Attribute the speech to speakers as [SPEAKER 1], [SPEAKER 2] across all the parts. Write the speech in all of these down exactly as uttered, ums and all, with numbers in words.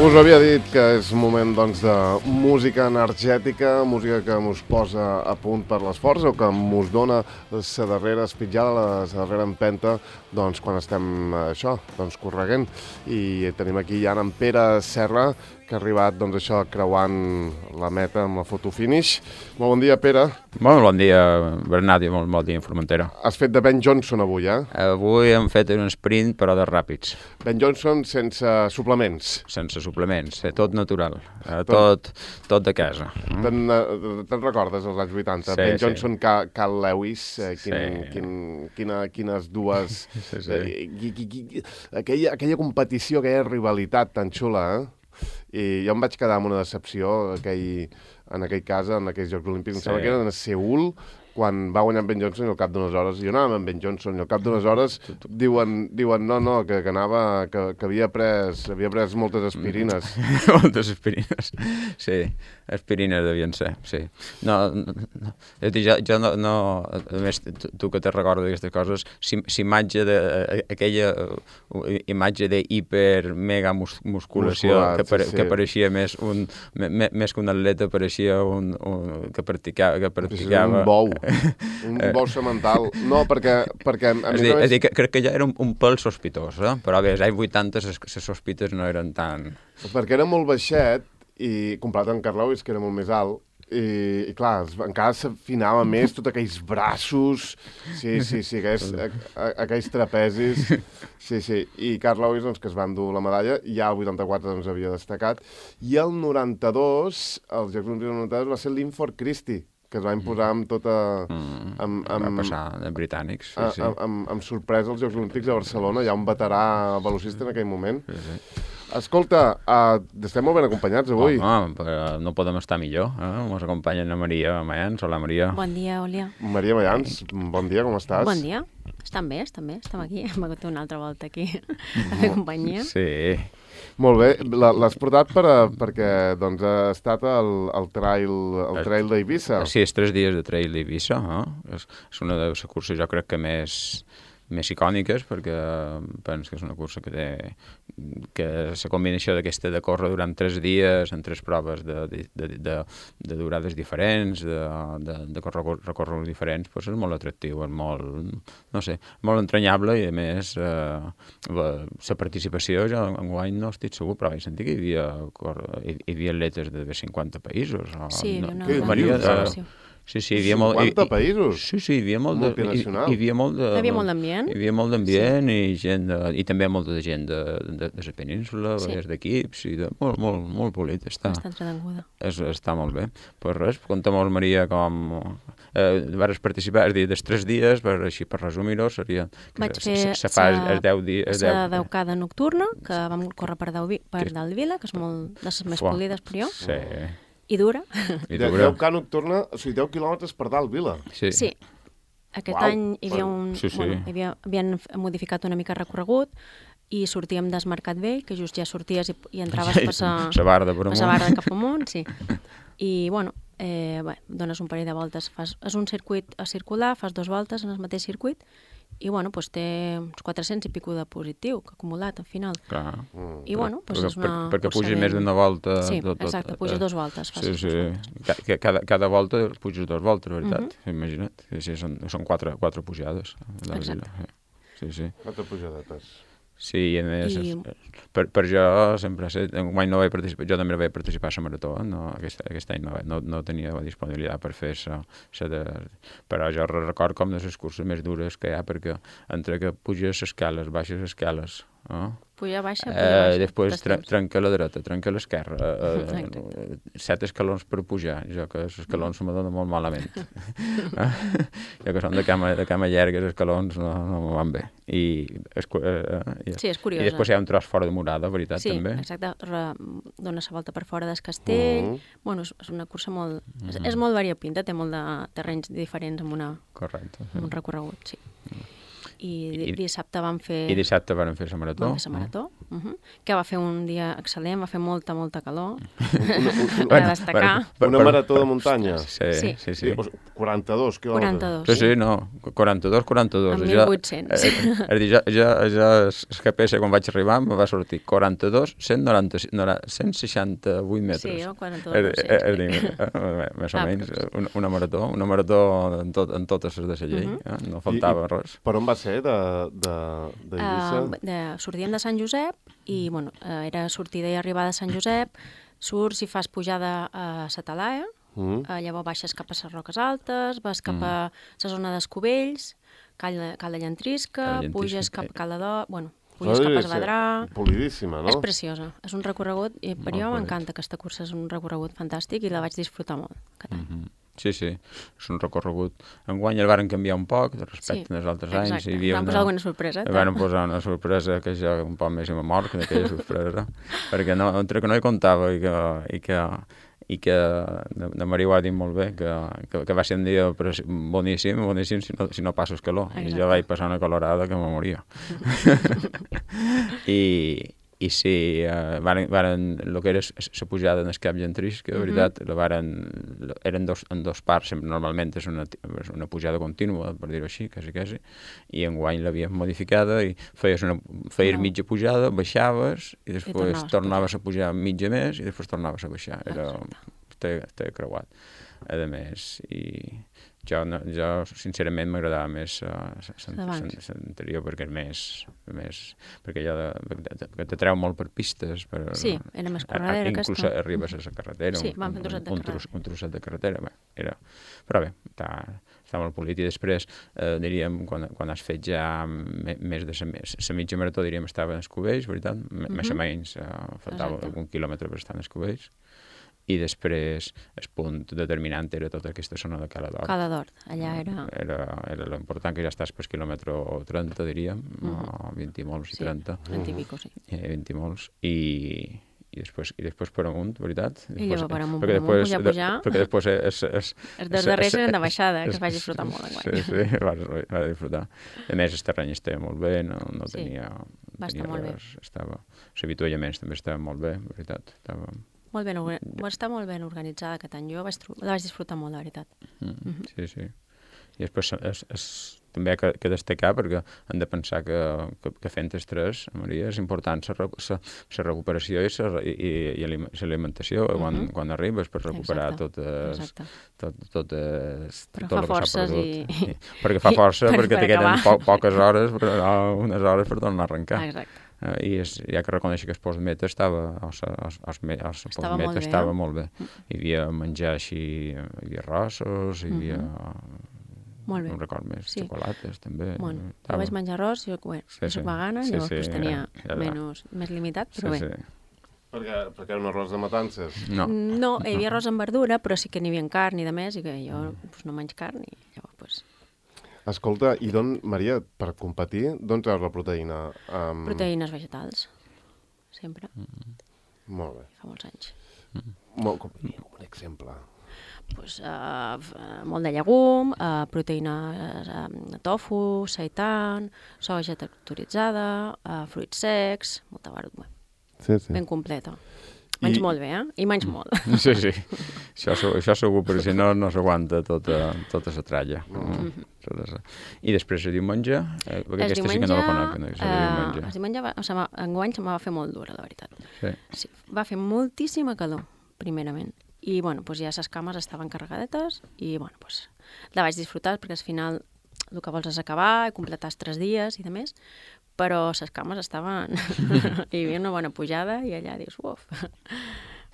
[SPEAKER 1] Us havia dit que és moment doncs, de música energètica, música que mos posa a punt per l'esforç o que mos dona la darrera espitjada, la darrera empenta doncs, quan estem això, doncs, correguent. I tenim aquí ja en Pere Serra, que ha arribat doncs, això, creuant la meta amb la foto finish. Molt bon dia, Pere.
[SPEAKER 2] Molt bon dia, Bernat, i molt bon dia, Formentera.
[SPEAKER 1] Has fet de Ben Johnson avui, eh?
[SPEAKER 2] Avui hem fet un sprint, però de ràpids.
[SPEAKER 1] Ben Johnson sense suplements.
[SPEAKER 2] Sense suplements, tot natural, tot, tot de casa.
[SPEAKER 1] Te'n, te'n recordes, als anys vuitanta?
[SPEAKER 2] Sí,
[SPEAKER 1] Ben
[SPEAKER 2] sí.
[SPEAKER 1] Johnson, Cal, Cal Lewis, eh, quin,
[SPEAKER 2] Sí.
[SPEAKER 1] quin, quina, quines dues...
[SPEAKER 2] Sí, sí.
[SPEAKER 1] Eh, qui, qui, qui, aquella, aquella competició, aquella rivalitat tan xula, eh? I jo em vaig quedar amb una decepció aquell, en aquell cas, en aquells Jocs Olímpics. Em
[SPEAKER 2] Sí.
[SPEAKER 1] sembla que eren a Seül, quan va guanyar Ben Johnson i al cap d'unes hores, jo anava amb Ben Johnson i al cap d'unes hores diuen, diuen no, no, que, que anava, que, que havia pres, havia pres moltes aspirines.
[SPEAKER 2] Moltes aspirines, sí, aspirines devien ser, sí. No, no, no. Jo, jo no, no, a més, tu, tu que te recordes d'aquestes coses, si, si imatge de, aquella imatge de hiper mega mus, musculació
[SPEAKER 1] Musculat,
[SPEAKER 2] que, pare,
[SPEAKER 1] sí, sí.
[SPEAKER 2] que pareixia més, un, me, més que un atleta, pareixia un, un, que practicava, que practicava...
[SPEAKER 1] Un bou, un bou semental. No, perquè, perquè a
[SPEAKER 2] És
[SPEAKER 1] més
[SPEAKER 2] dir,
[SPEAKER 1] a més...
[SPEAKER 2] és dir, que, crec que ja era un, un pèl sospitós, eh? Però bé, als anys vuitanta les sospites no eren tan...
[SPEAKER 1] Perquè era molt baixet, i comparat amb Carl Lewis, que era molt més alt, i, i clar, es- encara s'afinava més tots aquells braços, sí, sí, sí, aquells, a, a, aquells trapezis, sí, sí, i Carl Lewis, doncs, que es va endur la medalla, ja el vuitanta-quatre doncs, havia destacat, i el noranta-dos, els Jocs Olímpics del noranta-dos, va ser l'Inford Christie, que es va imposar amb tota...
[SPEAKER 2] Mm,
[SPEAKER 1] amb,
[SPEAKER 2] va
[SPEAKER 1] amb,
[SPEAKER 2] passar de britànics, sí,
[SPEAKER 1] a-
[SPEAKER 2] sí.
[SPEAKER 1] amb, amb, amb sorpresa als Jocs Olímpics de Barcelona, hi ha un veterà velocista en aquell moment.
[SPEAKER 2] sí, sí.
[SPEAKER 1] Escolta, uh, estem molt ben acompanyats avui.
[SPEAKER 2] Home, però no podem estar millor, eh? Ens acompanyen la Maria Mayans. Hola, Maria.
[SPEAKER 3] Bon dia, Òlia.
[SPEAKER 1] Maria Mayans, bon dia, com estàs?
[SPEAKER 3] Bon dia. Estan bé, estan bé. Estem aquí. Hem hagut una altra volta aquí a fer companyia.
[SPEAKER 2] Sí.
[SPEAKER 1] Molt bé, La- l'has portat per, a- perquè doncs, ha estat el, el trail, el trail d'Eivissa.
[SPEAKER 2] Sí, és tres dies de trail d'Eivissa. Eh? És, és una de les curses, jo crec que més, més icòniques, perquè penso que és una cursa que té que la combinació d'aquesta de córrer durant tres dies en tres proves de, de, de, de, de durades diferents, de, de, de recorreguts diferents, doncs és molt atractiu, és molt, no sé, molt entranyable i a més eh, la, la participació, jo enguany no estic segur, però vaig sentir que hi havia, corre- hi, hi havia atletes de cinquanta països. O,
[SPEAKER 3] Sí,
[SPEAKER 2] no,
[SPEAKER 3] una
[SPEAKER 1] Què
[SPEAKER 3] gran
[SPEAKER 1] dius, ara?
[SPEAKER 3] participació.
[SPEAKER 2] Sí, sí, hi havia molt...
[SPEAKER 1] cinquanta
[SPEAKER 2] hi-
[SPEAKER 1] països?
[SPEAKER 2] Sí, sí, hi havia molt de... Hi,
[SPEAKER 1] Multinacional.
[SPEAKER 2] hi havia molt de...
[SPEAKER 3] Hi havia molt d'ambient.
[SPEAKER 2] Hi havia molt d'ambient i gent de, i també molta de gent de, de, de la península,
[SPEAKER 3] Sí.
[SPEAKER 2] sí. d'equips, i de, molt, molt, molt polit està.
[SPEAKER 3] Està entretenguda.
[SPEAKER 2] És, està molt bé. Pues res, conta'm, Maria, com... Eh, vas participar, és a dir, dels tres dies, per, així per resumir-ho, seria... que
[SPEAKER 3] Vaig
[SPEAKER 2] se-
[SPEAKER 3] fer
[SPEAKER 2] se, se fa
[SPEAKER 3] sa-
[SPEAKER 2] els deu dies...
[SPEAKER 3] La deucada nocturna, que vam córrer per, Deu, per
[SPEAKER 2] Que-
[SPEAKER 3] Dalvila, que és molt de les més
[SPEAKER 2] Fuà.
[SPEAKER 3] polides per jo,
[SPEAKER 2] Sí.
[SPEAKER 3] i dura.
[SPEAKER 2] I
[SPEAKER 1] De,
[SPEAKER 2] tu,
[SPEAKER 1] deu K nocturna, o sigui, deu quilòmetres per dalt, Vila.
[SPEAKER 2] Sí.
[SPEAKER 3] Sí. Aquest
[SPEAKER 1] Uau.
[SPEAKER 3] any hi havia un...
[SPEAKER 2] Sí, sí.
[SPEAKER 3] Bueno, hi havia, havien f- modificat una mica el recorregut i sortíem des Mercat Vell, que just ja sorties i, i entraves per sa,
[SPEAKER 2] Sa barra de per
[SPEAKER 3] per
[SPEAKER 2] amunt.
[SPEAKER 3] sa barra de cap amunt, sí. I, bueno, eh, bé, dones un parell de voltes. Fas, és un circuit a circular, fas dues voltes en el mateix circuit i, bueno, doncs té uns quatre-cents i pico de positiu, que acumulat al final.
[SPEAKER 2] Clar.
[SPEAKER 3] I, bueno, doncs
[SPEAKER 2] perquè,
[SPEAKER 3] és una
[SPEAKER 2] per, perquè
[SPEAKER 3] cursa
[SPEAKER 2] puges
[SPEAKER 3] ben-
[SPEAKER 2] més d'una volta...
[SPEAKER 3] Sí,
[SPEAKER 2] tot, tot,
[SPEAKER 3] exacte, puges dues voltes, fas
[SPEAKER 2] Sí,
[SPEAKER 3] dues
[SPEAKER 2] sí.
[SPEAKER 3] voltes.
[SPEAKER 2] Ca- que Cada, cada volta puges dues voltes, veritat.
[SPEAKER 3] Mhm.
[SPEAKER 2] Uh -huh. Imagina't. Sí, sí, són, són quatre, quatre pujades. a la
[SPEAKER 3] Exacte.
[SPEAKER 2] vila. Sí, sí.
[SPEAKER 1] Quatre pujadetes.
[SPEAKER 2] Sí, i a més,
[SPEAKER 3] I-
[SPEAKER 2] I... per, per jo sempre sé, mai no vaig participar, jo també vaig participar a la marató, no, aquest, aquest any no, vaig- no, no tenia la disponibilitat per fer sa, sa de, però jo record com de les curses més dures que hi ha, perquè entre que puges escales, baixes escales, eh?
[SPEAKER 3] Puja baixa, puja
[SPEAKER 2] Eh,
[SPEAKER 3] baixa.
[SPEAKER 2] després
[SPEAKER 3] tot el
[SPEAKER 2] tre
[SPEAKER 3] temps.
[SPEAKER 2] trenca la dreta, trenca l'esquerra, eh,
[SPEAKER 3] Exacte.
[SPEAKER 2] eh, set escalons per pujar, jo que els escalons se me donen molt malament. Eh? Jo que són de cama, de cama llarga, els escalons no, no me van bé. I, es, eh, i,
[SPEAKER 3] Sí, és curiosa.
[SPEAKER 2] I després hi ha un tros fora de murada, veritat,
[SPEAKER 3] Sí,
[SPEAKER 2] també.
[SPEAKER 3] exacte, re, dona la volta per fora del castell,
[SPEAKER 1] Mhm.
[SPEAKER 3] bueno, és, és una cursa molt, és, és molt variopinta, té molt de terrenys diferents amb, una,
[SPEAKER 2] Correcte.
[SPEAKER 3] amb
[SPEAKER 2] Sí.
[SPEAKER 3] un recorregut, sí. I, di
[SPEAKER 2] I-
[SPEAKER 3] dissabte vam fer,
[SPEAKER 2] I dissabte van fer la marató.
[SPEAKER 3] vam fer la marató, Uh -huh. Que va fer un dia excel·lent, va fer molta, molta calor.
[SPEAKER 1] Una,
[SPEAKER 3] Per destacar.
[SPEAKER 1] una marató de muntanya.
[SPEAKER 2] Sí, sí, sí. sí.
[SPEAKER 1] quaranta-dos quilòmetres.
[SPEAKER 3] quaranta-dos,
[SPEAKER 2] Sí, sí, no, quaranta-dos, quaranta-dos.
[SPEAKER 3] En
[SPEAKER 2] Ja-
[SPEAKER 3] mil vuit-cents.
[SPEAKER 2] eh, És a dir, ja, ja, ja el G P S quan vaig arribar me va sortir quaranta-dos, cent noranta, cent seixanta-vuit metres.
[SPEAKER 3] Sí, jo quaranta-dos,
[SPEAKER 2] És,
[SPEAKER 3] no sé,
[SPEAKER 2] és,
[SPEAKER 3] sí.
[SPEAKER 2] és dir, eh, més o
[SPEAKER 3] Ah,
[SPEAKER 2] menys,
[SPEAKER 3] però-
[SPEAKER 2] una, una marató, una marató en, tot, en totes les de la llei,
[SPEAKER 3] Mhm.
[SPEAKER 2] eh? No faltava
[SPEAKER 1] I,
[SPEAKER 2] res.
[SPEAKER 1] Per on va ser, de, de, d'Eivissa?
[SPEAKER 3] Uh, de, sortíem de Sant Josep i, bueno, uh, era sortida i arribada a Sant Josep, surts i fas pujada a Satalaia,
[SPEAKER 1] Mm.
[SPEAKER 3] uh, llavors baixes cap a les Roques Altes, vas cap a la zona d'Escovells, Cal, de- Cal de Llantrisca,
[SPEAKER 2] Cal de Llantrisca,
[SPEAKER 3] puges cap
[SPEAKER 2] eh.
[SPEAKER 3] a Cal de Do... Bueno, puges cap a Esvedrà...
[SPEAKER 1] Polidíssima, no?
[SPEAKER 3] És preciosa, és un recorregut, i per
[SPEAKER 2] Molt
[SPEAKER 3] jo
[SPEAKER 2] bonic.
[SPEAKER 3] m'encanta aquesta cursa, és un recorregut fantàstic i la vaig disfrutar molt. aquest any.
[SPEAKER 2] Mhm. Sí, sí, és un recorregut. Enguany el varen canviar un poc respecte
[SPEAKER 3] Sí,
[SPEAKER 2] als altres anys.
[SPEAKER 3] exacte.
[SPEAKER 2] Hi havia
[SPEAKER 3] Van posar alguna sorpresa,
[SPEAKER 2] Hi
[SPEAKER 3] tal.
[SPEAKER 2] van posar una sorpresa que jo un poc més i m'amor que d'aquella sorpresa, perquè no, entre que no hi comptava i que, i que, i que la, la Maria ho ha dit molt bé, que, que, que va ser un dia preci- boníssim, boníssim si no, si no passes calor. I
[SPEAKER 3] Exacte.
[SPEAKER 2] jo vaig passar una calorada que me moria. I, i sí, eh, varen, varen, el que era la pujada en el Cap Llantris, que de veritat la varen, la- eren dos, en dos parts, sempre, normalment és una, és una pujada contínua, per dir-ho així, quasi, quasi, i enguany l'havíem modificada i feies, una, feies
[SPEAKER 3] No.
[SPEAKER 2] mitja pujada, baixaves i després
[SPEAKER 3] tornaves a
[SPEAKER 2] tornaves a pujar mitja més i després tornaves a baixar. Era,
[SPEAKER 3] Exacte.
[SPEAKER 2] estava, estava creuat. A més, i jo, no, jo sincerament m'agradava més uh,
[SPEAKER 3] D'abans.
[SPEAKER 2] l'anterior perquè és més, més perquè ja de, de, de, te treu molt per pistes. Per,
[SPEAKER 3] Sí, era més
[SPEAKER 2] a- a-
[SPEAKER 3] corredera,
[SPEAKER 2] Inclús
[SPEAKER 3] aquesta.
[SPEAKER 2] arribes a la carretera.
[SPEAKER 3] Sí,
[SPEAKER 2] un,
[SPEAKER 3] van fer un trosset de
[SPEAKER 2] un,
[SPEAKER 3] carretera.
[SPEAKER 2] tros, un trosset de carretera. Bé, era, però bé, està, està molt polit. I després, eh, diríem, quan, quan has fet ja me, més de la mitja marató, diríem, estava en Escovells, veritat? M Més o menys, eh, faltava
[SPEAKER 3] Exacte.
[SPEAKER 2] algun quilòmetre per estar en Escovells. I després el punt determinant era tota aquesta zona de Cala d'Or.
[SPEAKER 3] Cala d'Hort, allà era...
[SPEAKER 2] Era, era l'important que ja estàs per quilòmetre trenta, diríem, o vint i molts i
[SPEAKER 3] Sí,
[SPEAKER 2] trenta,
[SPEAKER 3] trenta i pico, sí.
[SPEAKER 2] eh, vint i molts, i, i, després, i després per amunt, veritat?
[SPEAKER 3] I llavors per amunt,
[SPEAKER 2] perquè
[SPEAKER 3] per amunt,
[SPEAKER 2] després-
[SPEAKER 3] pujar, pujar.
[SPEAKER 2] De, perquè després és... és
[SPEAKER 3] Els dos darrers eren de baixada, que es vaig disfrutar molt enguany.
[SPEAKER 2] Sí, sí, vas, vas disfrutar. A més, el terreny estava molt bé, no, no
[SPEAKER 3] Sí,
[SPEAKER 2] tenia...
[SPEAKER 3] va estar
[SPEAKER 2] tenia
[SPEAKER 3] molt bé.
[SPEAKER 2] res, estava... Els avituallaments també estaven molt bé, veritat. Estava...
[SPEAKER 3] Molt ben, orga- va estar molt ben organitzada aquest any. Jo vaig, tro- la vaig disfrutar molt, de veritat.
[SPEAKER 2] Mm, sí, sí. I després és, és, també ha que, que destacar, perquè hem de pensar que, que, que fent els tres, Maria, és important la recuperació i la i, i, i l'alimentació uh -huh. quan, quan arribes per recuperar
[SPEAKER 3] Exacte,
[SPEAKER 2] totes,
[SPEAKER 3] exacte.
[SPEAKER 2] tot, totes,
[SPEAKER 3] Però
[SPEAKER 2] tot
[SPEAKER 3] fa
[SPEAKER 2] el que s'ha
[SPEAKER 3] forces
[SPEAKER 2] perdut.
[SPEAKER 3] i-
[SPEAKER 2] I, perquè fa força,
[SPEAKER 3] per-
[SPEAKER 2] perquè
[SPEAKER 3] per
[SPEAKER 2] te queden
[SPEAKER 3] acabar.
[SPEAKER 2] po poques hores, però, no, unes hores per tornar a arrencar.
[SPEAKER 3] Ah, exacte.
[SPEAKER 2] Uh, I és, hi ha que reconèixer que el postmeta estava, el, el, el, el
[SPEAKER 3] Estava
[SPEAKER 2] postmeta
[SPEAKER 3] molt bé,
[SPEAKER 2] estava
[SPEAKER 3] eh?
[SPEAKER 2] molt bé. Hi havia menjar així, hi havia arrossos, hi havia...
[SPEAKER 3] Molt bé.
[SPEAKER 2] No em record més,
[SPEAKER 3] Sí.
[SPEAKER 2] xocolates també.
[SPEAKER 3] Bueno, jo
[SPEAKER 2] Estava-
[SPEAKER 3] vaig menjar arròs, jo, bé,
[SPEAKER 2] Sí,
[SPEAKER 3] jo
[SPEAKER 2] sí.
[SPEAKER 3] soc vegana,
[SPEAKER 2] Sí,
[SPEAKER 3] llavors
[SPEAKER 2] sí,
[SPEAKER 3] pues, tenia
[SPEAKER 2] era- era-
[SPEAKER 3] menys, més limitat, però
[SPEAKER 2] sí,
[SPEAKER 3] bé.
[SPEAKER 2] sí.
[SPEAKER 1] Perquè, perquè era un arròs de matances.
[SPEAKER 2] No,
[SPEAKER 3] No, hi havia arròs amb verdura, però sí que n'hi havia carn i de més, i que jo pues, no menys carn, i llavors, pues,
[SPEAKER 1] Escolta, i d'on, Maria, per competir, d'on treus la proteïna? Um,
[SPEAKER 3] proteïnes vegetals, sempre,
[SPEAKER 1] Molt bé.
[SPEAKER 3] fa molts anys.
[SPEAKER 1] Molt, com, com un exemple.
[SPEAKER 3] Pues, uh, molt de llegum, uh, proteïna uh, tofu, seitan, soja texturitzada, uh, fruits secs, molta verdura,
[SPEAKER 1] Sí, sí.
[SPEAKER 3] ben completa. Menys
[SPEAKER 1] I-
[SPEAKER 3] molt bé, eh? I menys molt.
[SPEAKER 2] sí, sí. Això, se- això segur, perquè si no, no s'aguanta tota, tota la tralla. Mm. Tota sa- I després el diumenge, eh, perquè
[SPEAKER 3] El
[SPEAKER 2] aquesta sí que no la conec, no?
[SPEAKER 3] eh,
[SPEAKER 2] El diumenge.
[SPEAKER 3] el diumenge va, o sigui, va- enguany se me va fer molt dura, la veritat.
[SPEAKER 2] Sí.
[SPEAKER 3] Sí, va fer moltíssima calor, primerament. I, bueno, doncs ja les cames estaven carregadetes i, bueno, doncs la vaig disfrutar perquè al final el que vols és acabar i completar els tres dies i de més, però les cames estaven... hi havia una bona pujada i allà dius, uf,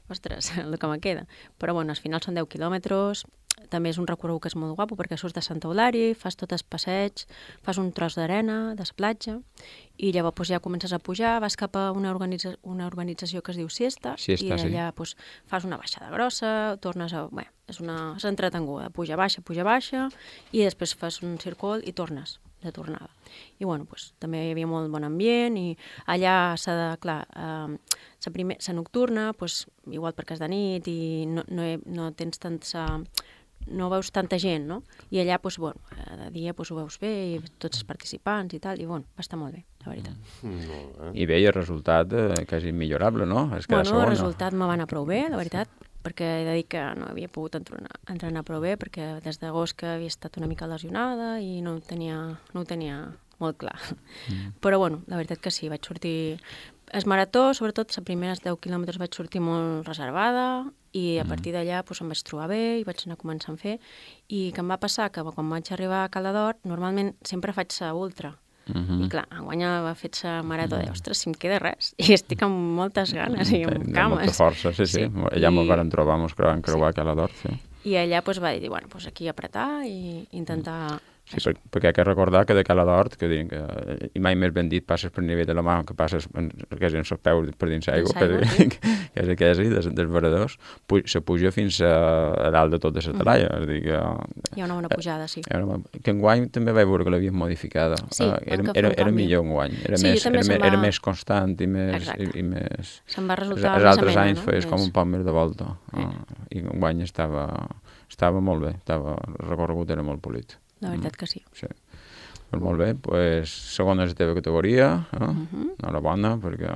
[SPEAKER 3] ostres, el que me queda. Però, bueno, al final són deu quilòmetres, també és un recorregut que és molt guapo perquè surts de Santa Eulària, fas tot el passeig, fas un tros d'arena, de la platja, i llavors doncs, ja comences a pujar, vas cap a una, organitza una organització que es diu Siesta,
[SPEAKER 2] Siesta,
[SPEAKER 3] i
[SPEAKER 2] sí.
[SPEAKER 3] allà doncs, fas una baixada grossa, tornes a... Bé, és una és entretenguda, puja, baixa, puja, baixa, i després fas un circuit i tornes de tornada. I bueno, doncs, també hi havia molt bon ambient i allà s'ha de, clar, eh, la, primer, la nocturna, doncs, igual perquè és de nit i no, no, he, no tens tant sa, no veus tanta gent, no? I allà, doncs, bueno, de dia doncs, ho veus bé, i tots els participants i tal, i bueno, va estar molt bé, la veritat.
[SPEAKER 1] Mm.
[SPEAKER 2] I bé, i el resultat eh, quasi immillorable, no? Es queda
[SPEAKER 3] bueno,
[SPEAKER 2] segona.
[SPEAKER 3] el resultat me va anar prou bé, la veritat, perquè he de dir que no havia pogut entrenar, entrenar prou bé, perquè des d'agost que havia estat una mica lesionada i no ho tenia, no ho tenia molt clar. Mm. Però bueno, la veritat que sí, vaig sortir... El marató, sobretot, els primers deu quilòmetres vaig sortir molt reservada i a partir d'allà doncs, em vaig trobar bé i vaig anar començant a fer. I que em va passar que quan vaig arribar a Cala d'Hort, normalment sempre faig sa ultra.
[SPEAKER 2] Mm-hmm.
[SPEAKER 3] I clar, enguany va fer sa marató de, ostres, si em queda res. I estic amb moltes ganes i amb
[SPEAKER 2] Hi ha
[SPEAKER 3] cames.
[SPEAKER 2] molta força, sí, sí. sí. Allà I... m'ho vam trobar, mos creuar a Cala d'Hort, sí.
[SPEAKER 3] I allà doncs, va dir, bueno, doncs aquí apretar i intentar...
[SPEAKER 2] Sí, per, perquè hay que recordar que de Cala d'Hort, que diuen que, i mai més ben dit, passes per nivell de la mà, que passes en, quasi en els peus per dins l'aigua, que, sí. que és quasi des, dels varadors, pu se puja fins a, a dalt de tota la talaia. Mm -hmm. És dir, que,
[SPEAKER 3] hi ha una bona pujada, sí.
[SPEAKER 2] Una, que enguany també vaig veure que l'havien modificada.
[SPEAKER 3] Sí,
[SPEAKER 2] uh, era, era, era millor enguany, era,
[SPEAKER 3] sí,
[SPEAKER 2] més, era,
[SPEAKER 3] va...
[SPEAKER 2] era més constant i més... I, i més...
[SPEAKER 3] Se'm va resultar
[SPEAKER 2] els altres
[SPEAKER 3] amena,
[SPEAKER 2] anys
[SPEAKER 3] no?
[SPEAKER 2] feies
[SPEAKER 3] més...
[SPEAKER 2] com un poc més de volta.
[SPEAKER 3] Eh.
[SPEAKER 2] Uh, I enguany estava, estava molt bé, estava, el recorregut era molt polit.
[SPEAKER 3] La veritat que sí.
[SPEAKER 2] Sí. Pues molt bé, pues, segona és la teva categoria, eh? uh -huh. enhorabona, perquè,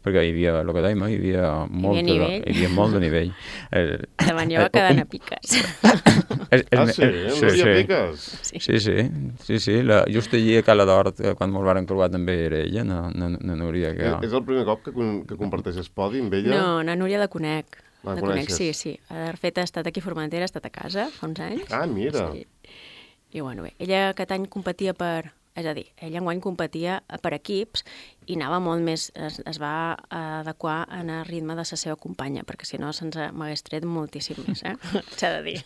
[SPEAKER 2] perquè hi havia, el que dèiem, hi havia, molt,
[SPEAKER 3] hi havia,
[SPEAKER 2] de, hi havia molt de nivell.
[SPEAKER 3] El, Davant jo va quedant a piques.
[SPEAKER 1] és, és, ah, sí? El, sí, sí. Piques?
[SPEAKER 2] Sí, sí, sí, sí, sí. La, just allí a Cala d'Hort, quan ens van creuar també era ella, na, na, na Núria. Que...
[SPEAKER 1] És, és el primer cop que, que comparteix el podi amb ella?
[SPEAKER 3] No, na Núria la conec.
[SPEAKER 1] La,
[SPEAKER 3] la conec, sí, sí. De fet, ha estat aquí a Formentera, ha estat a casa fa uns anys.
[SPEAKER 1] Ah, mira.
[SPEAKER 3] Sí. I bueno, bé, ella aquest any competia per... És a dir, ella enguany competia per equips i anava molt més... Es, es va adequar en el ritme de la seva companya, perquè si no se'ns m'hagués tret moltíssim més, eh? S'ha de dir.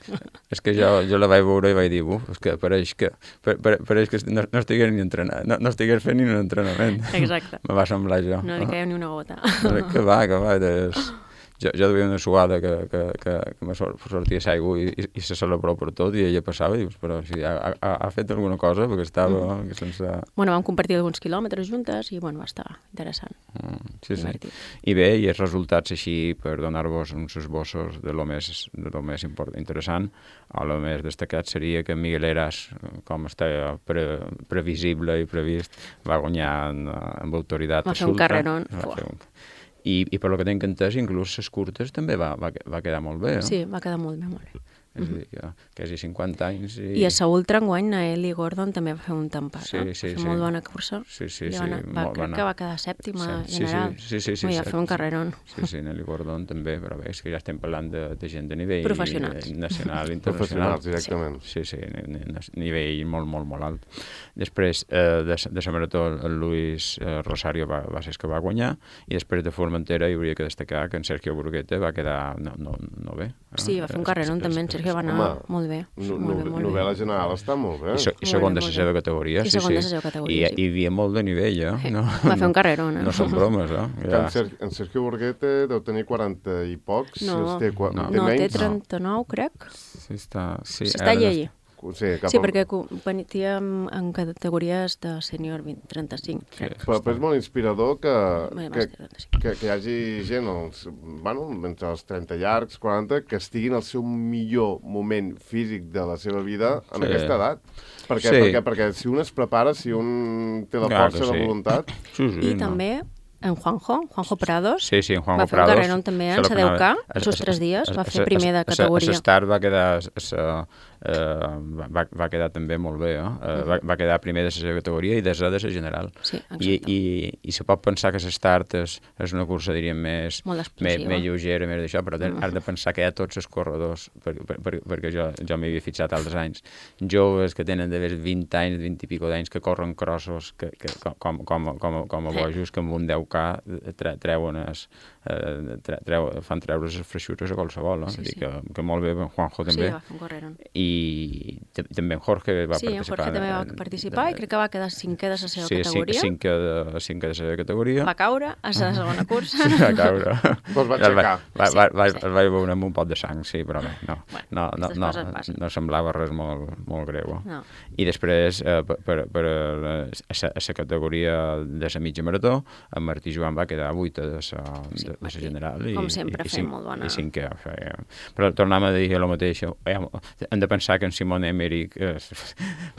[SPEAKER 2] És que jo, jo la vaig veure i vaig dir, uf, és que pareix que, pareix que no, no estigués ni entrenant, no, no estigués fent ni un entrenament.
[SPEAKER 3] Exacte.
[SPEAKER 2] Me va semblar jo.
[SPEAKER 3] No li caia ni una gota.
[SPEAKER 2] Que va, que va, des... Jo, jo duia una suada que, que, que, que me sortia l'aigua i, i, i se celebró per tot i ella passava i dius, però si ha, ha, ha fet alguna cosa perquè estava mm. sense...
[SPEAKER 3] Bueno, vam compartir alguns quilòmetres juntes i bueno, va estar interessant.
[SPEAKER 2] Mm, sí, sí. I bé, i els resultats així per donar-vos uns esbossos de lo més, de lo més important, interessant, o lo més destacat seria que Miguel Heras, com està pre, previsible i previst, va guanyar en, amb autoritat
[SPEAKER 3] va fer un carrerón.
[SPEAKER 2] I, i per lo que tinc entès, inclús les curtes també va, va, va quedar molt bé, no?
[SPEAKER 3] Sí, va quedar molt bé, molt bé.
[SPEAKER 2] És a dir, que quasi cinquanta anys... I,
[SPEAKER 3] I a la ultra enguany, Naeli Gordon també va fer un tempat,
[SPEAKER 2] sí,
[SPEAKER 3] no?
[SPEAKER 2] Sí,
[SPEAKER 3] va fer
[SPEAKER 2] sí.
[SPEAKER 3] molt bona cursa.
[SPEAKER 2] Sí, sí,
[SPEAKER 3] sí.
[SPEAKER 2] Va anar,
[SPEAKER 3] va, crec va que va quedar sèptima
[SPEAKER 2] sí,
[SPEAKER 3] general.
[SPEAKER 2] Sí, sí, sí. sí, sí
[SPEAKER 3] va fer un carrerón.
[SPEAKER 2] Sí, sí, Naeli Gordon també, però bé, és que ja estem parlant de, de gent de nivell...
[SPEAKER 3] Professionals.
[SPEAKER 2] Nacional, internacional.
[SPEAKER 1] Professionals, directament.
[SPEAKER 2] Sí, sí, nivell molt, molt, molt alt. Després eh, de, de la marató, el Luis eh, Rosario va, va ser el que va guanyar, i després de Formentera hi hauria que destacar que en Sergio Burguete va quedar no, no, no bé.
[SPEAKER 3] Sí, va fer un carrerón també, en Sergio va anar molt bé.
[SPEAKER 1] No, molt bé, molt
[SPEAKER 3] novel·la
[SPEAKER 1] bé. General està molt bé.
[SPEAKER 2] I, so, i segon de la seva categoria.
[SPEAKER 3] I
[SPEAKER 2] sí,
[SPEAKER 3] segon
[SPEAKER 2] sí.
[SPEAKER 3] de la seva categoria,
[SPEAKER 2] I, sí. I hi havia molt de nivell, eh? No,
[SPEAKER 3] va fer un carrerón, eh?
[SPEAKER 2] No són bromes, eh?
[SPEAKER 1] Ja. En, Ser, en Sergio Burguete deu tenir quaranta i pocs.
[SPEAKER 3] No,
[SPEAKER 1] té,
[SPEAKER 3] no,
[SPEAKER 1] té,
[SPEAKER 3] no
[SPEAKER 1] menys?
[SPEAKER 3] té trenta-nou, crec.
[SPEAKER 2] Sí, està... Sí,
[SPEAKER 3] S'està allí.
[SPEAKER 1] Sí, cap
[SPEAKER 3] sí, perquè competia en, en categories de sènior trenta-cinc, crec.
[SPEAKER 1] Però, però és molt inspirador que,
[SPEAKER 3] Bé,
[SPEAKER 1] que, que, que hi hagi gent els, bueno, entre els trenta llargs, quaranta, que estiguin al seu millor moment físic de la seva vida en
[SPEAKER 2] sí.
[SPEAKER 1] aquesta edat. Perquè,
[SPEAKER 2] sí.
[SPEAKER 1] perquè, perquè si un es prepara, si un té la
[SPEAKER 2] Clar
[SPEAKER 1] força,
[SPEAKER 2] sí.
[SPEAKER 1] la voluntat...
[SPEAKER 2] Sí, sí,
[SPEAKER 3] I
[SPEAKER 2] no.
[SPEAKER 3] també... En Juanjo, Juanjo Prados,
[SPEAKER 2] sí, sí, en Juanjo
[SPEAKER 3] va fer
[SPEAKER 2] Prados,
[SPEAKER 3] un carrerón també en la deu K, els seus tres dies, va fer primer de categoria.
[SPEAKER 2] A Start va quedar, uh, va, va quedar també molt bé, eh? uh, va, va quedar primer de la seva categoria i desè de la general.
[SPEAKER 3] Sí,
[SPEAKER 2] I, i, I se pot pensar que la Start és, és una cursa, diríem, més, més, més lleugera, més d'això, però mm. has de pensar que hi ha tots els corredors, per, per, per, perquè jo, jo m'hi havia fixat altres anys, joves que tenen d'haver vint anys, vint i pico d'anys, que corren crossos que, que, com, com, com, com a bojos, que amb un deu K treuen es, eh, treu, fan treure les freixures a qualsevol, eh?
[SPEAKER 3] Sí, sí.
[SPEAKER 2] Que, que molt bé, Juanjo també.
[SPEAKER 3] Sí, va fer un carrerón.
[SPEAKER 2] I també en Jorge va
[SPEAKER 3] sí,
[SPEAKER 2] participar. Sí, en
[SPEAKER 3] Jorge també va participar de, de, i crec que va quedar cinquè de la seva
[SPEAKER 2] sí,
[SPEAKER 3] categoria.
[SPEAKER 2] Sí, cinquè de, cinquè de la seva categoria.
[SPEAKER 3] Va caure a la segona cursa.
[SPEAKER 2] Sí, va caure.
[SPEAKER 1] Pues va aixecar.
[SPEAKER 2] Va, va, va, sí, va, va veure amb un pot de sang, sí, però bé, no,
[SPEAKER 3] bueno,
[SPEAKER 2] no, no, no, no, no semblava res molt, molt greu.
[SPEAKER 3] No.
[SPEAKER 2] I després, eh, per, per, per a la categoria de la mitja marató, en Martí Joan va quedar vuitè de la, de de la general. I,
[SPEAKER 3] Com sempre,
[SPEAKER 2] i, i
[SPEAKER 3] feia
[SPEAKER 2] cinc,
[SPEAKER 3] molt bona.
[SPEAKER 2] I cinquè, feia... Però tornem a dir el mateix, hem, hem de pensar que en Simon Emmerich, és,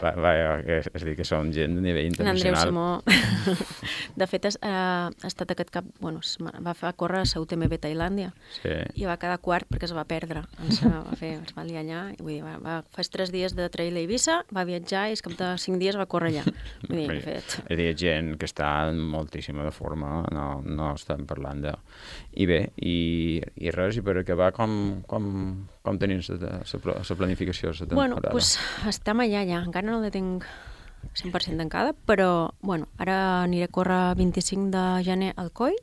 [SPEAKER 2] va, va, és, és dir, que són gent de nivell internacional.
[SPEAKER 3] En Andreu Simó, de fet, es, eh, ha estat aquest cap, bueno, es va fer córrer a Ceuta M B Tailàndia
[SPEAKER 2] Sí.
[SPEAKER 3] i va quedar quart perquè es va perdre. Es va, fer, es va liar allà. Vull dir, va, va, fa tres dies de trail a Eivissa, va viatjar i es cap de cinc dies va córrer allà. Vull dir, de fet...
[SPEAKER 2] És a dir, gent que està en moltíssima de forma, no, no estem parlant de... I bé, i, i res, i per acabar, com, com, com tenies la planificació de la temporada?
[SPEAKER 3] Bueno, doncs pues, estem allà ja, encara no la tinc cent per cent tancada, però bueno, ara aniré a córrer vint-i-cinc de gener al Coi,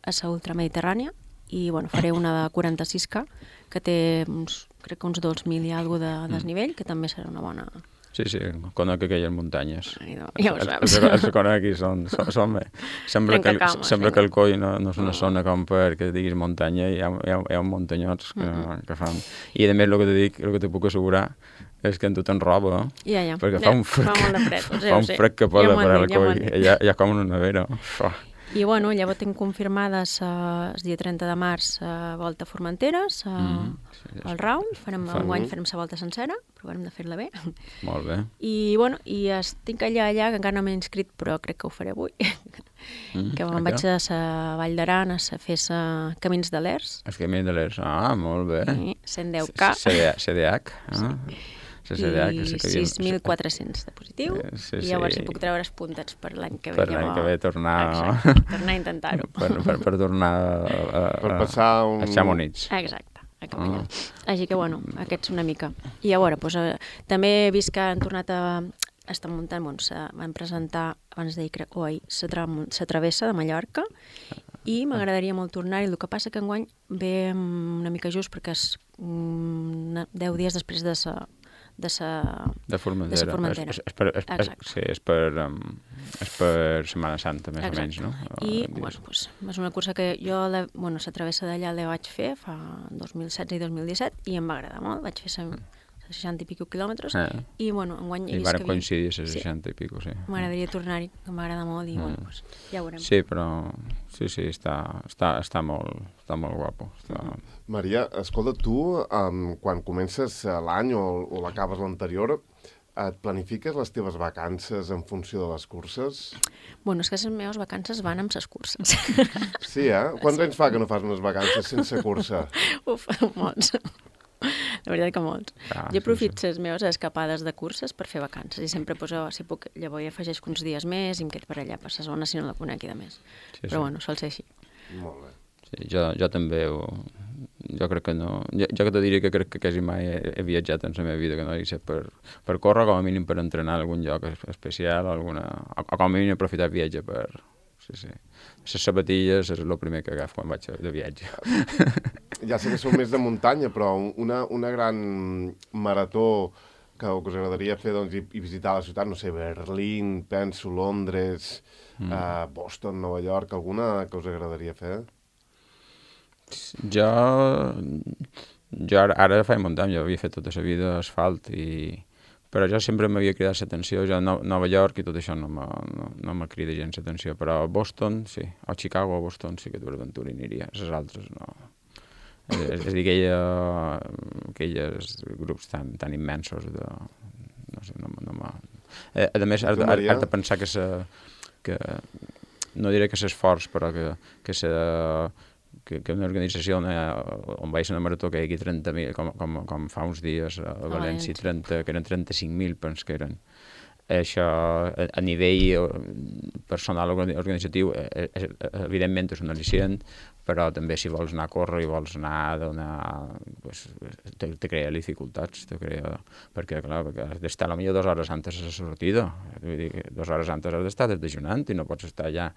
[SPEAKER 3] a la ultramediterrània, i bueno, faré una de quaranta-sis K, que té uns, crec que uns dos mil i alguna de desnivell, que també serà una bona...
[SPEAKER 2] Sí, sí, conec aquelles muntanyes.
[SPEAKER 3] Ai, no, ja ho saps.
[SPEAKER 2] Els, els, els conec aquí, són... són, són sembla que,
[SPEAKER 3] Trencacames,
[SPEAKER 2] sembla
[SPEAKER 3] vinga.
[SPEAKER 2] que el Coi no, no és una zona com perquè diguis muntanya, hi ha, hi ha, hi ha muntanyots que,
[SPEAKER 3] Mm-hmm.
[SPEAKER 2] que fan... I a més, el que te dic, el que te puc assegurar és que en tu t'enroba,
[SPEAKER 3] Ja, ja.
[SPEAKER 2] perquè
[SPEAKER 3] ja,
[SPEAKER 2] fa un fred,
[SPEAKER 3] fa molt de fred, ho sé,
[SPEAKER 2] fa
[SPEAKER 3] ho
[SPEAKER 2] un
[SPEAKER 3] sé.
[SPEAKER 2] fred que
[SPEAKER 3] Ja
[SPEAKER 2] posa
[SPEAKER 3] m'ho han
[SPEAKER 2] per al
[SPEAKER 3] dit, ja m'ho
[SPEAKER 2] Coi,
[SPEAKER 3] han dit.
[SPEAKER 2] hi ha, hi ha com una nevera. Uf.
[SPEAKER 3] I bueno, llavors tinc confirmades uh, el dia trenta de març a Volta a Formenteres, uh,
[SPEAKER 2] Mm, sí, sí.
[SPEAKER 3] al round, farem,
[SPEAKER 2] Fa-
[SPEAKER 3] enguany farem la volta sencera, provarem de fer-la bé.
[SPEAKER 2] Molt bé.
[SPEAKER 3] I, bueno, i estic allà, allà, que encara no m'he inscrit, però crec que ho faré avui,
[SPEAKER 2] Mm,
[SPEAKER 3] que
[SPEAKER 2] a
[SPEAKER 3] me'n
[SPEAKER 2] què?
[SPEAKER 3] vaig a la Vall d'Aran a sa- fer sa Camins de l'Ers,
[SPEAKER 2] Els camins de l'Ers. Ah, molt bé.
[SPEAKER 3] i cent deu K,
[SPEAKER 2] C D H. Ah. La C D H,
[SPEAKER 3] i
[SPEAKER 2] sí que havia-
[SPEAKER 3] sis mil quatre-cents de positiu,
[SPEAKER 2] Eh, sí,
[SPEAKER 3] i llavors
[SPEAKER 2] sí.
[SPEAKER 3] si puc treure els puntats per l'any que ve.
[SPEAKER 2] Per l'any
[SPEAKER 3] llavors-
[SPEAKER 2] que ve tornar...
[SPEAKER 3] Exacte, tornar a intentar-ho.
[SPEAKER 2] per, per, per tornar a, a,
[SPEAKER 1] Per passar un...
[SPEAKER 2] a Chamonix.
[SPEAKER 3] Exacte, a caminar.
[SPEAKER 2] Ah.
[SPEAKER 3] Així que, bueno, aquests una mica. I a veure, doncs, eh, també he vist que han tornat a estar muntant, bueno, se van presentar, abans d'ahir, crec, o ahir, la tra la travessa de Mallorca, i m'agradaria molt tornar-hi. El que passa que enguany ve mm, una mica just perquè és mm, deu dies després de sa de sa...
[SPEAKER 2] De Formentera.
[SPEAKER 3] De sa Formentera.
[SPEAKER 2] És, és, és per, és, és,
[SPEAKER 3] Exacte.
[SPEAKER 2] sí, és per, um, és per Setmana Santa, més
[SPEAKER 3] Exacte.
[SPEAKER 2] o menys, no?
[SPEAKER 3] I,
[SPEAKER 2] Uh,
[SPEAKER 3] bueno, doncs, és una cursa que jo, la, bueno, la travessa d'allà la vaig fer fa dos mil setze i dos mil disset i em va agradar molt. Vaig fer sa- seixanta i pico quilòmetres
[SPEAKER 2] Eh.
[SPEAKER 3] i, bueno, enguany he
[SPEAKER 2] I
[SPEAKER 3] vist
[SPEAKER 2] varen
[SPEAKER 3] que havia...
[SPEAKER 2] coincidir a
[SPEAKER 3] Sí.
[SPEAKER 2] seixanta i pico, sí.
[SPEAKER 3] M'agradaria tornar-hi, que m'agrada molt i,
[SPEAKER 2] Mm.
[SPEAKER 3] bueno, doncs, ja ho veurem.
[SPEAKER 2] Sí, però sí, sí, està, està, està, molt, està molt guapo. Està...
[SPEAKER 1] Maria, escolta, tu, um, quan comences l'any o, o l'acabes l'anterior, et planifiques les teves vacances en funció de les curses?
[SPEAKER 3] Bueno, és que les meves vacances van amb les curses.
[SPEAKER 1] Sí, eh? Quants anys fa que no fas unes vacances sense cursa?
[SPEAKER 3] Uf, molts. La veritat que molts.
[SPEAKER 2] Ah,
[SPEAKER 3] jo
[SPEAKER 2] sí,
[SPEAKER 3] aprofito les meves escapades de curses per fer vacances i sempre poso, si puc, llavors hi afegeixo uns dies més i em quedo per allà, per la zona, si no la conec i de més.
[SPEAKER 2] Sí,
[SPEAKER 3] Però
[SPEAKER 2] sí.
[SPEAKER 3] bueno, sol ser així.
[SPEAKER 1] Molt bé.
[SPEAKER 2] Sí, jo, jo també ho... Jo crec que no... Jo, jo que te diria que crec que quasi mai he, he viatjat en la meva vida, que no hagi set per, per córrer, com a mínim per entrenar a algun lloc especial, alguna, o, o com a mínim aprofitar el viatge per... Sí, sí. Les sabatilles és el primer que agafo quan vaig de viatge.
[SPEAKER 1] Ja sé que sou més de muntanya, però una, una gran marató que, que us agradaria fer doncs, i, i visitar la ciutat, no sé, Berlín, penso, Londres, mm. uh, Boston, Nova York, alguna que us agradaria fer?
[SPEAKER 2] Jo... Jo ara, ara faig muntanya, jo havia fet tota la vida asfalt i... Però jo sempre m'havia cridat l'atenció, jo a no, Nova York i tot això no me, no, no me crida gens l'atenció, però a Boston, sí, o Chicago o Boston sí que per aventura hi aniria, les altres no. És, és, és a dir, aquella, aquelles grups tan, tan immensos de... No sé, no, no m'ha... Eh, a més, has, de- has, has de pensar que se... Que, no diré que s'esforç, però que, que se... que, que una organització on, on vaig a una marató que hi hagi trenta mil, com, com, com fa uns dies a València, trenta, que eren trenta-cinc mil, penso que eren. Això, a, a nivell personal organitzatiu, és, és, evidentment és un al·licient, però també si vols anar a córrer i vols anar a donar... Pues, te, te crea dificultats, te crea... Perquè, clar, perquè has d'estar potser dues hores antes de la sortida. Vull dir, que dues hores antes has d'estar desdejunant i no pots estar allà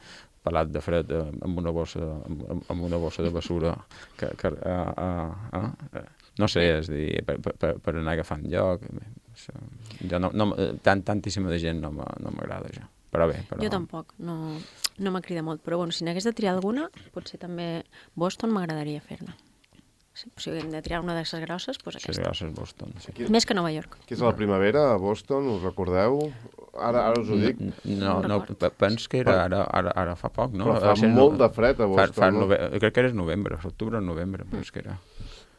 [SPEAKER 2] pelat de fred amb una bossa, amb, amb una bossa de basura. Que, que, uh, uh, uh, no sé, és a dir, per, per, per anar agafant lloc. Això, jo no, no, tant, tantíssima de gent no m'agrada, això. Però bé, però...
[SPEAKER 3] Jo tampoc, no, no m'ha cridat molt, però bueno, si n'hagués de triar alguna, potser també Boston m'agradaria fer-la. Si, si hem de triar una de les grosses, doncs
[SPEAKER 2] Sí,
[SPEAKER 3] aquesta.
[SPEAKER 2] gràcies, Boston. Sí.
[SPEAKER 1] Qui,
[SPEAKER 3] Més que Nova York.
[SPEAKER 1] qui és a la primavera a Boston, us recordeu? Ara, ara us ho dic.
[SPEAKER 2] No, no, pens que era ara, ara, ara fa poc, no?
[SPEAKER 1] Però fa molt de fred a Boston,
[SPEAKER 2] fa, fa
[SPEAKER 1] no?
[SPEAKER 2] nove... Crec que era novembre, octubre o novembre, però és que era...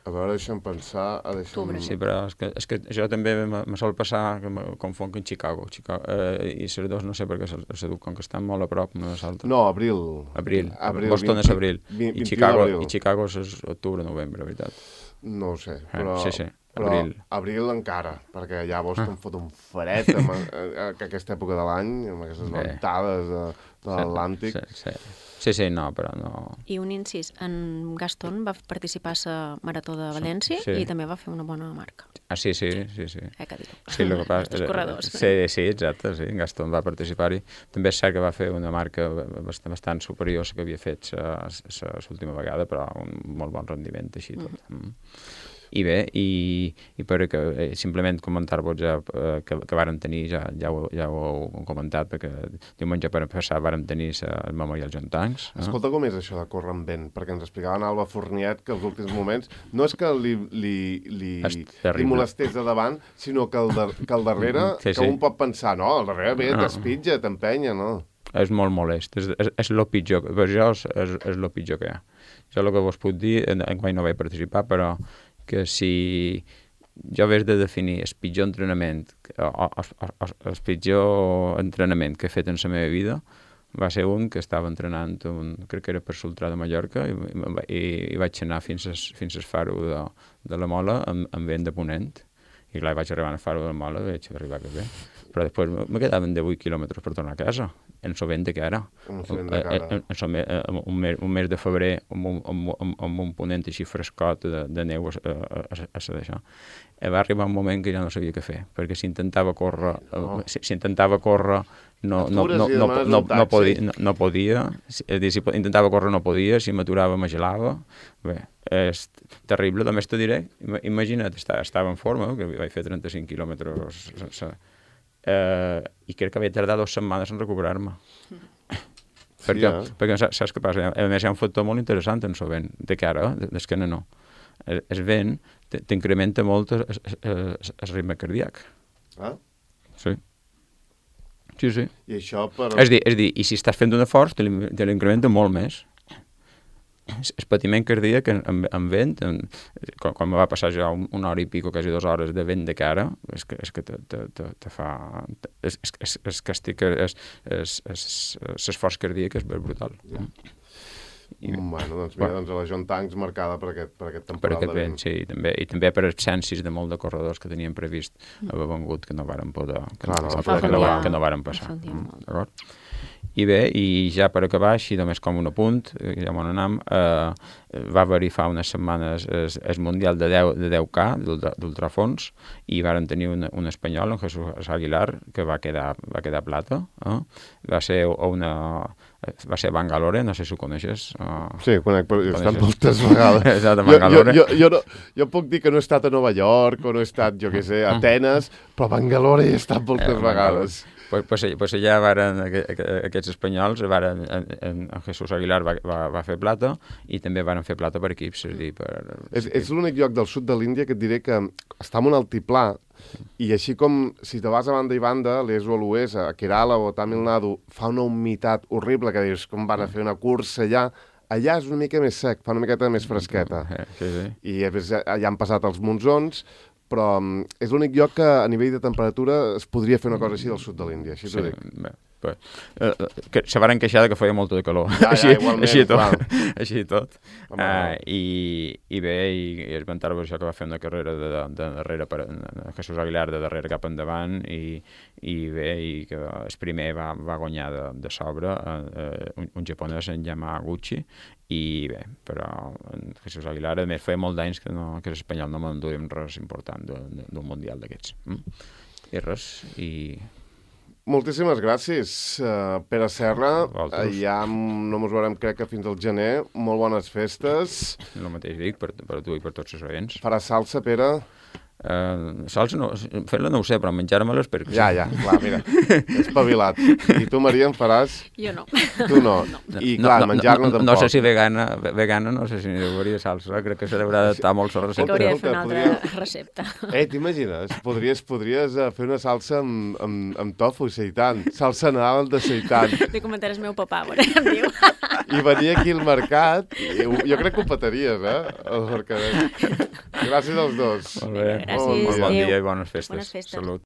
[SPEAKER 1] A veure, deixa'm pensar... Deixa'm...
[SPEAKER 2] Sí, però és que, és que jo també me sol passar que me confonc en Chicago. Chicago eh, I les dos no sé per què se duc, com que estan molt a prop una de l'altra.
[SPEAKER 1] No, abril.
[SPEAKER 2] Abril.
[SPEAKER 1] abril
[SPEAKER 2] Boston és abril.
[SPEAKER 1] vint,
[SPEAKER 2] I Chicago, i Chicago és octubre, novembre, veritat.
[SPEAKER 1] No ho sé, però...
[SPEAKER 2] Eh, sí, sí.
[SPEAKER 1] Però
[SPEAKER 2] abril.
[SPEAKER 1] abril encara, perquè allà a Boston ah. fot un fred amb, a, a aquesta època de l'any, amb aquestes ventades de, de l'Atlàntic.
[SPEAKER 2] Sí, sí, sí. Sí, sí, no, però no...
[SPEAKER 3] I un incís, en Gaston va participar a la Marató de València sí. i també va fer una bona marca.
[SPEAKER 2] Ah, sí, sí, sí. sí.
[SPEAKER 3] Eh, que dic.
[SPEAKER 2] Sí, el que passa...
[SPEAKER 3] Els corredors.
[SPEAKER 2] Sí, sí, exacte, sí, Gaston va participar-hi. També és cert que va fer una marca bastant, bastant superior a la que havia fet l'última vegada, però un molt bon rendiment, així tot. Mm. Mm. I bé, i, i per que eh, simplement comentar-vos ja eh, que, que varen tenir, ja, ja, ho, ja ho heu comentat, perquè diumenge per passar varen tenir el Memorial John Tanks. Eh?
[SPEAKER 1] Escolta, com és això de córrer amb vent? Perquè ens explicaven Alba Fourniet que els últims moments no és que li, li, li, li molestés de davant, sinó que el, de, que el darrere, sí, sí. que un pot pensar, no, el darrere ve, no. t'espitja, t'empenya, no?
[SPEAKER 2] És molt molest, és, és, és el pitjor, per jo és, és, és el pitjor que hi ha. Jo el que vos puc dir, enguany no vaig participar, però que si jo hagués de definir el pitjor entrenament, o, o, o, el pitjor entrenament que he fet en la meva vida, va ser un que estava entrenant, un, crec que era per Sultrà de Mallorca, i, i, i vaig anar fins, a, fins al faro de, de la Mola amb, amb vent de ponent. I clar, vaig arribar al faro de la Mola i vaig arribar que bé. Però després me quedaven de vuit quilòmetres per tornar a casa, en el vent de cara.
[SPEAKER 1] En el vent de cara.
[SPEAKER 2] En, en, un, mes, un mes de febrer, amb un, amb, amb, amb un ponent així frescot de, de neu a, a, a, a d'això. I va arribar un moment que ja no sabia què fer, perquè si intentava córrer, oh. si, si intentava córrer no, no, no, no, no, no, no, podia, no, no podia, és dir, si intentava córrer no podia, si m'aturava me gelava. Bé, és terrible, només te diré, imagina't, estava en forma, que vaig fer trenta-cinc quilòmetres sense... Uh, i crec que havia tardat dues setmanes en recuperar-me. Sí, perquè, eh? perquè saps què passa? A més, hi ha un factor molt interessant en el vent, de cara, d'esquena no. El, el vent t'incrementa molt el, el, el ritme cardíac.
[SPEAKER 1] Ah?
[SPEAKER 2] Sí. Sí, sí.
[SPEAKER 1] I això per...
[SPEAKER 2] És dir, és dir, i si estàs fent un esforç, te l'incrementa molt més. El patiment cardíac en, en, en vent, en, quan, quan me va passar ja un, una hora i pico, quasi dues hores de vent de cara, és que, és que te, te, te, te fa... És, és, és que estic... L'esforç cardíac és brutal. Ja.
[SPEAKER 1] I, bueno, doncs mira, doncs a la John Tanks marcada per aquest, per aquest temporal
[SPEAKER 2] per aquest vent. Sí, i també, i també per absències de molt de corredors que tenien previst haver vengut que no varen poder... Que, Clar, no, no, que, no, que no varen passar. D'acord? I bé, i ja per acabar, així només com un apunt, ja m'ho anam, eh, va haver-hi fa unes setmanes el, el Mundial de deu K, d'ultrafons, i varen tenir un, un espanyol, en Jesús Aguilar, que va quedar, va quedar plata. Eh? Va ser una... va ser a Bangalore, no sé si ho coneixes. Uh,
[SPEAKER 1] sí, conec, però he estat moltes vegades.
[SPEAKER 2] Exacte, a Bangalore.
[SPEAKER 1] Jo, jo, jo, no, jo puc dir que no he estat a Nova York, o no he estat, jo què sé, a Atenes, però a Bangalore he estat moltes eh, vegades.
[SPEAKER 2] Pues, pues, pues allà varen, aquests espanyols, varen, en, en Jesús Aguilar va, va, va fer plata, i també varen fer plata per equips. És, dir, per,
[SPEAKER 1] és, és l'únic lloc del sud de l'Índia que et diré que està en un altiplà, i així com si te vas a banda i banda, l'est o a l'oest, a Kerala o a Tamil Nadu, fa una humitat horrible, que dius com van a fer una cursa allà, allà és una mica més sec, fa una miqueta més fresqueta.
[SPEAKER 2] Sí, sí.
[SPEAKER 1] I a més, allà han passat els monsons, però és l'únic lloc que a nivell de temperatura es podria fer una cosa així del sud de l'Índia, així t'ho
[SPEAKER 2] sí,
[SPEAKER 1] dic.
[SPEAKER 2] Bé, bé. Uh, que se varen queixar que feia molta de calor.
[SPEAKER 1] Ja, ja,
[SPEAKER 2] així,
[SPEAKER 1] igualment,
[SPEAKER 2] així tot.
[SPEAKER 1] clar.
[SPEAKER 2] Així tot. Uh, i, I bé, i, i esmentar-vos això que va fer una carrera de, de, de darrere, per, de Jesús Aguilar, de darrere cap endavant, i, i bé, i que el primer va, va guanyar de, de sobre uh, un, un japonès, en Yamaguchi, i bé, però en Jesús Aguilar, a més, feia molt d'anys que, no, que l'espanyol no m'enduríem res important d'un mundial d'aquests. Mm? I res, i...
[SPEAKER 1] Moltíssimes gràcies, uh, Pere Serra. Uh, ja no mos veurem, crec que fins al gener. Molt bones festes.
[SPEAKER 2] El mateix dic per, per tu i per tots els oients.
[SPEAKER 1] Faràs salsa, Pere?
[SPEAKER 2] Uh, salsa no, fer-la no ho sé, però menjar-me-la espero que sí.
[SPEAKER 1] Ja, ja, clar, mira, espavilat. I tu, Maria, em faràs?
[SPEAKER 3] Jo no.
[SPEAKER 1] Tu no. I, clar,
[SPEAKER 2] no, no,
[SPEAKER 1] menjar-ne
[SPEAKER 2] no,
[SPEAKER 1] tampoc.
[SPEAKER 2] no sé si vegana, vegana no sé si n'hi hauria salsa, crec que se l'haurà d'adaptar molt la
[SPEAKER 3] Sí que
[SPEAKER 2] recepta.
[SPEAKER 3] hauria de fer una
[SPEAKER 1] Podria-
[SPEAKER 3] altra recepta.
[SPEAKER 1] Eh, t'imagines? Podries, podries uh, fer una salsa amb, amb, amb tofu, seitan. Salsa Nadal de seitan.
[SPEAKER 3] De comentar el meu papà, bueno, em diu.
[SPEAKER 1] I venir aquí al mercat, i ho- jo crec que ho petaries, eh? El mercadet. Gràcies als dos.
[SPEAKER 2] Molt bé,
[SPEAKER 3] Gràcies,
[SPEAKER 2] molt bon
[SPEAKER 3] adéu.
[SPEAKER 2] dia i bones festes.
[SPEAKER 3] Bones festes.
[SPEAKER 2] Salut.